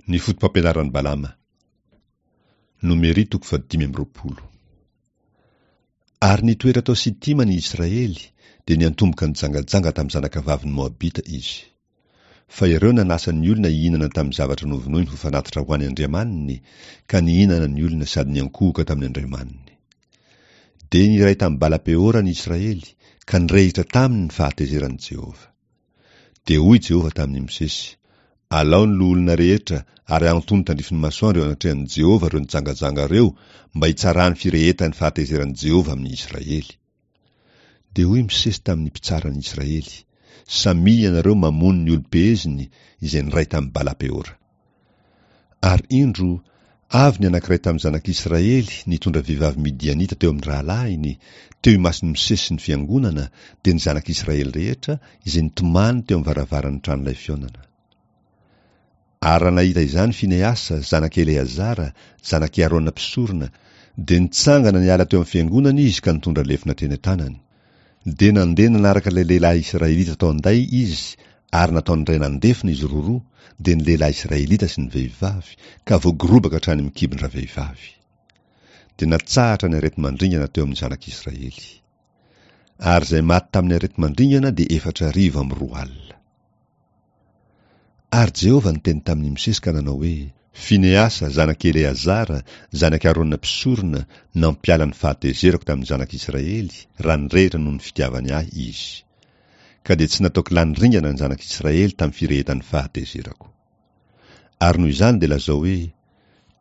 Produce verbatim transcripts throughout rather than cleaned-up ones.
Ny foto-pampianaran'i Balama. Nomery toko fahadimy amby roapolo. Ary nitoetra tao Sitima ny Israely, dia niantomboka nijangajanga tamin'ny zanakavavin'ny Moabita izy. Fa ireo nanasa ny olona hihinana tamin'ny zavatra novonoiny ho fanatitra ho an'ny andriamaniny, ka nihinana ny olona sady niankohoka tamin'ny andriamaniny. Dia niray tamin'i Bala-Peora ny Israely, ka nirehitra taminy ny fahatezeran'i Jehovah. Dia hoy Jehovah tamin'i Mosesy, Alao ny loholona rehetra ary ahantony tandrifin'ny masoandro eo anatrehan'i Jehovah ireo nijangajanga ireo mba hitsarany firehetan'ny fahatezeran'i Jehovah amin'ny Israely. Dia hoy Mosesy tamin'ny mpitsara ny Israely, Samia ianareo mamono ny olom-peheziny izay niray tamin'i Bala-Peora. Ary indro, avy ny anankiray tamin'ny zanak'Israely nitondra vehivavy Midianita teo amin'ny rahalahiny, teo imason'i Mosesy sy ny fiangonana, dia ny zanak'Israely rehetra, izay nitomany teo amin'ny varavaran'ny tranolay fihaonana. Ary raha nahita izany Finehasa, zanak'i Eleazara, zanak'i Arona mpisorona, dia nitsangana niala teo amin'ny fiangonana izy ka nitondra lefona teny an-tanany. Dia nandeha nanaraka ilay lehilahy Israelita tao an-day izy, ary nataony iray nandefona izy roroa, dia ny lehilahy Israelita sy ny vehivavy, ka voagorobaka hatrany amin'ny kibon-dravehivavy. Dia natsahatra ny areti-mandringana teo amin'ny zanak'Israely. Ary izay maty tamin'ny areti-mandringana dia efatra arivo amby roa alina. Ary Jehovah niteny tamin'i Mosesy ka nanao hoe, Finehasa, zanak'i Eleazara, zanak'i Arona mpisorona, nampiala ny fahatezerako tamin'ny zanak'Israely, raha nirehitra noho ny fitiavany ahy izy. Ka dia tsy nataoko lany ringana ny zanak'Israely tamin'ny firehetan'ny fahatezerako. Ary noho izany dia lazao hoe,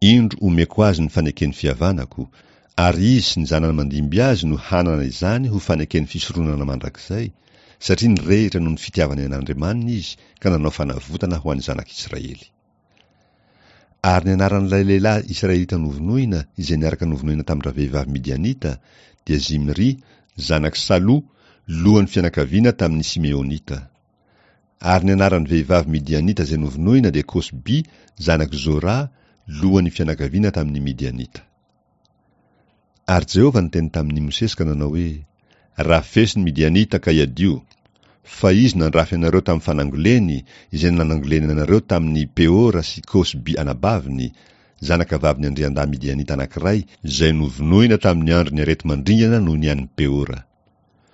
Indro omeko azy ny faneken'ny fihavanako, ary izy sy ny zanany mandimby azy no hanana izany ho faneken'ny fisoronana mandrakizay, satria nirehitra noho ny fitiavany an'Andriamaniny izy ka nanao fanavotana ho an'ny zanak'Israely. Ary ny anaran'ilay lehilahy Israelita novonoina, izay niaraka novonoina tamin-dravehivavy Midianita, dia Zimri, zanak'i Salo, lohan'ny fianakaviana tamin'ny Simeonita. Ary ny anaran'ny vehivavy Midianita izay novonoina dia Kosby, zanak'i Zora, lohan'ny fianakaviana tamin'ny Midianita. Ary Jehovah niteny tamin'i Mosesy ka nanao hoe, Rafeso ny Midianita ka iadio, fa izy nandrafy anareo tamin'ny fanangoleny, izay nanangoleny anareo tamin'ny Peora sy Kosby anabaviny, zanakavavin'ny andriandahy Midianita anankiray, izay novonoina tamin'ny andron'ny areti-mandringana noho ny an'ny Peora.